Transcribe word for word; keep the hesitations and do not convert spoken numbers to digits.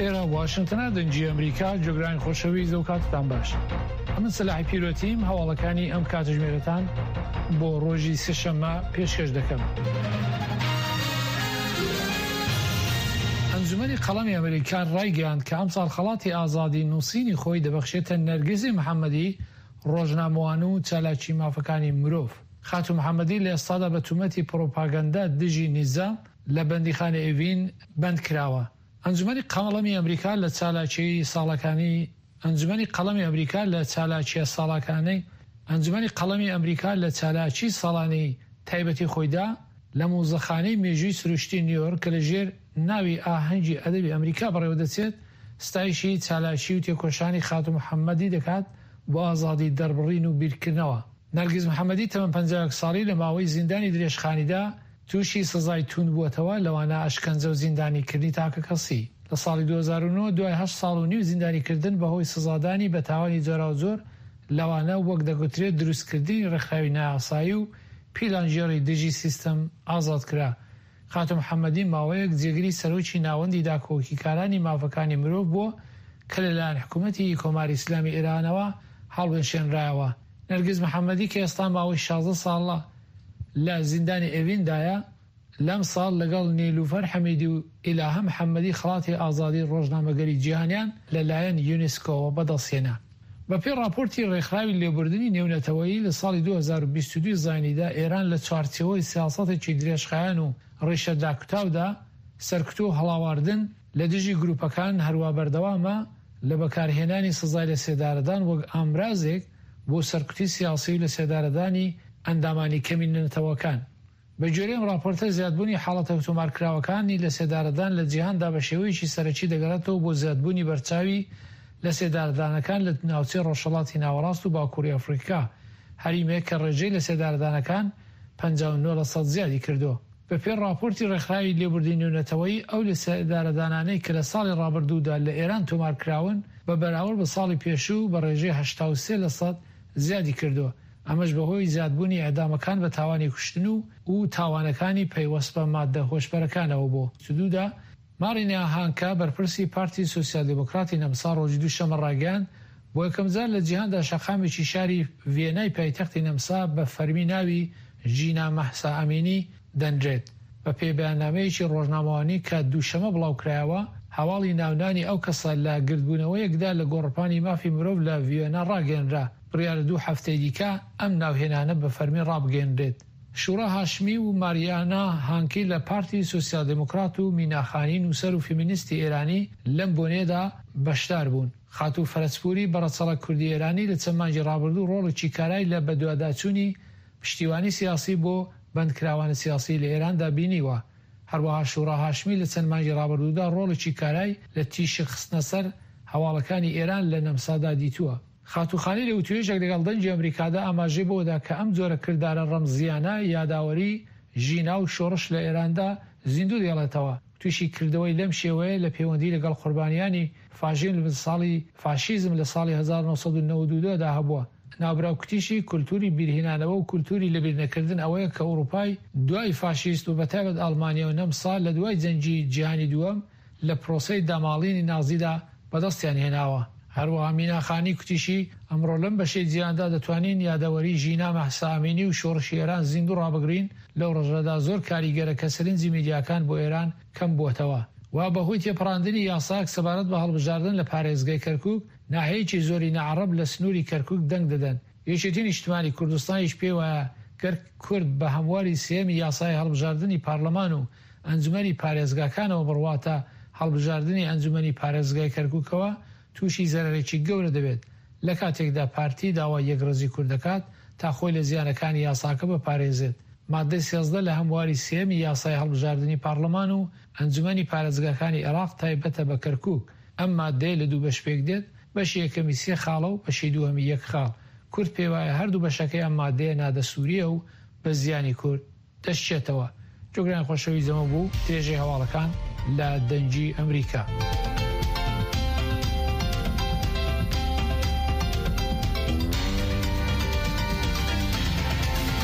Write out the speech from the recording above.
ئێرە واشنتنە، دەنگی ئەمریکا. گوێگرانی خۆشەویست، ئەو کاتتان باش. ئەمن سەلاحی پیرۆتیم، هەواڵەکانی ئەم کاتژمێرەتان بۆ ڕۆژی سێشەممە پێشکەش دەکەم. ئەنجومەنی قەڵەمی ئەمریکا ڕایگەیاند کە ئەمساڵ خەڵاتی ئازادی نووسینی خۆی دەبەخشێتە نەرگزی محەممەدی، ڕۆژنامەوان و چالاکی مافەکانی مرۆڤ. خاتوو محەممەدی لە ئێستادا بە تومەتی پڕۆپاگەندە دژی نیزام لە بەندیخانەی ئێڤین بەند کراوە. ئەنجومەنی قەڵەمی ئەمریکا لە چالاکیی ساڵەکانی ئەنجومەنی قەڵەمی ئەمریکا لە چالاکییە ساڵەکانەی ئەنجومەنی قەڵەمی ئەمریکا لە چالاکی ساڵانەی تایبەتی خۆیدا لە موزەخانەی مێژووی سروشتی نیویۆرک کە لە ژێر ناوی ئاهەنگی ئەدەبی ئەمریکا بەڕێوەدەچێت، ستایشی چالاکی و تێکۆشانی خاتوو محەممەدی دەکات بۆ ئازادی دەربڕین و بیرکردنەوە. نەرگز محەممەدی تەمەن پەنجا و یەک ساڵی لە ماوەی زیندانی درێژخانیدا تووشی سزای توند بووەتەوە، لەوانە ئەشکەنجە و زیندانیکردنی تاکەکەسی. لە ساڵی دوو هەزار و نۆ دوای هەشت ساڵ و نیو زیندانیکردن بەهۆی سزادانی بە تاوانی جۆراوجۆر، لەوانە وەک دەگوترێت دروستکردنی ڕێکخراوی نایاسایی و پیلانگێڕی دژی سیستم، ئازاد کرا. خاتوو محەممەدی ماوەیەک جێگری سەرۆکی ناوەندی داکۆکیکارانی مافەکانی مرۆڤ بووە کە لەلایەن حکوومەتی کۆماری ئیسلامی ئێرانەوە هەڵوەشێنرایەوە. نەرگز محەممەدی کە ئێستا ماوەی شازدە ساڵە لە زیندانی ئێڤیندایە، لەم ساڵ لەگەڵ نیلوفەر حەمیدی و ئیلاهە محەممەدی خەڵاتی ئازادی ڕۆژنامەگەری جیهانیان لەلایەن یونسکۆوە بەدەستهێنا. بەپێی ڕاپۆرتی ڕێکخراوی لێبوردنی نێونەتەوەیی لە ساڵی دوو هەزار و بیست و دوو زایینیدا، ئێران لە چوارچێوەی سیاسەتێکی درێژخایەن و ڕیشە داکوتاودا سەرکوت و هەڵاواردن لە دژی گروپەکان هەروا بەردەوامە لە بەکارهێنانی سزای لەسێدارەدان وەک ئامرازێک بۆ سەرکوتی سیاسی و لەسێدارەدانی ئەندامانی کەمینە نەتەوەکان. بە گوێرەی ئەم ڕاپۆرتە، زیادبوونی حاڵەتە تۆمارکراوەکانی لەسێدارەدان لە جیهاندا بە شێوەیەکی سەرەکی دەگەڕێتەوە بۆ زیادبوونی بەرچاوی لەسێدارەدانەکان لە ناوچەی ڕۆژهەڵاتی ناوەڕاست و باکووری ئەفریقا، هەریمێک کە ڕێژەی لەسێدارەدانەکان پەنجا و نۆ لەسەد زیادی کردووە. بەپێی ڕاپۆرتی ڕێکخراوی لێبوردنی نێونەتەوەیی، ئەو لەسێدارەدانانەی کە لە ساڵی ڕابردوودا لە ئێران تۆمارکراون بە بەراورد بە ساڵی پێشوو بە ڕێژەی هەشتا و سێ لەسەد زیادی کردووە، ئەمەش بەهۆی زیادبوونی ئێعدامەکان بە تاوانی کوشتن و و تاوانەکانی پەیوەست بە ماددە هۆشبەرەکانەوە بۆ. دوودا. مارینا هانکا بەرپرسی پارتی سۆسیال دیموکراتی نەمسا ڕۆژی دووشەممە ڕایگەیاند، بۆ یەکەمجار لە جیهاندا شەقامێکی شاری ڤیێنای پایتەختی نەمسا بە فەرمی ناوی ژینا مەهسا ئەمینی دەنرێت. بەپێی بەیاننامەیەکی ڕۆژنامەوانی کە دووشەمە بڵاوکرایەوە، هەواڵی ناونانی ئەو کەسە لە گردبوونەوەیەکدا لە گۆڕەپانی مافی مرۆڤ لە ڤیێنا ڕاگەیەنرا. بڕیارە دوو هەفتەی دیکە ئەم ناوهێنانە بە فەرمی ڕابگەیەنرێت. شورا هاشمی و ماریانا هانکی لە پارتی سۆسیال دیموکرات و مینا خانی نووسەر و فێمینیستی ئێرانی لەم بۆنەیەدا بەشدار بوون. خاتوو فەرەجپووری بە ڕەچەڵەک کوردی ئێرانی لە چەند مانگی ڕابردوو ڕۆڵێکی کارای لە بەدواداچوونی پشتیوانی سیاسی بۆ بەندکراوانی سیاسی لە ئێراندا بینیوە. هەروەها شورا هاشمی لە چەند مانگی ڕابردوودا ڕۆڵێکی کارای لە تیشک خستنە سەر هەواڵەکانی ئێران لە نەمسادا دیتووە. خاتوو خانی لە وتوێژێک لەگەڵ دەنگی ئەمریکادا ئاماژەی بەوەدا کە ئەم جۆرە کردارە ڕەمزییانە یاداوەری ژینا و شۆڕش لە ئێراندا زیندوو دێڵێتەوە. تووشی کردەوەی لەم شێوەیە لە پەیوەندی لەگەڵ قوربانیانی فاشیزم لە ساڵی فاشیزم لە ساڵی هەزار و نۆ سەد و نەوەد و دوو دا هەبووە. ناوبراو کوتیشی کولتوری بیرهێنانەوە و کولتوری لەبیرنەکردن ئەوەیە کە ئوروپای دوای فاشیست و بەتایبەت ئەڵمانیا و نەمسا لە دوای جەنگی جیهانی دووەم لە پرۆسەی داماڵینی نازیدا بەدەستیان هێناوە. هەروەها مینا خانی کوتیشی ئەمڕۆ لەم بەشەی جیهاندا دەتوانین یادەوەری ژینا مەهسا ئەمینی و شۆڕشی ئێران زیندوو ڕابگرین، لەو ڕۆژەدا زۆر کاریگەرە کە سەرنجی میدیاکان بۆ ئێران کەم بووەتەوە و بەهۆی تێپەڕاندنی یاسایەک سەبارەت بە هەڵبژاردن لە پارێزگای کەرکوک ناحیەیەکی زۆری ناعەڕەب لە سنووری کەرکوک دەنگ دەدەن. یەکێتی نیشتمانی کوردستانیش پێیوایە گەر کورد بە هەمواری سێیەمی یاسای هەڵبژاردنی پارلەمان و ئەنجومەنی پارێزگاکانەوە بڕواتە هەڵبژاردنی ئەنجومەنی پارێزگای کەرکوکەوە تووشی زەرەرێکی گەورە دەبێت، لە کاتێکدا پارتی داوای یەکڕیزی کورد دەکات تا خۆی لە زیانەکانی یاساکە بپارێزێت. ماددەی سێزدە لە هەمواری سێیەمی یاسای هەڵبژاردنی پارلەمان و ئەنجومەنی پارێزگاکانی عێراق تایبەتە بە کەرکوک، ئەم ماددەیە لە دوو بەش پێکدێت، بەشی یەکەمی سێ خاڵە و بەشی دووهەمی یەک خاڵ، کورد پێیوایە هەردوو بەشەکەی ئەم ماددەیە نادەستوورییە و بە زیانی کورد دەشچێتەوە. جۆگرانی خۆشەویست ئەمە بوو درێژەی هەواڵەکان لە دەنگی ئەمریکا.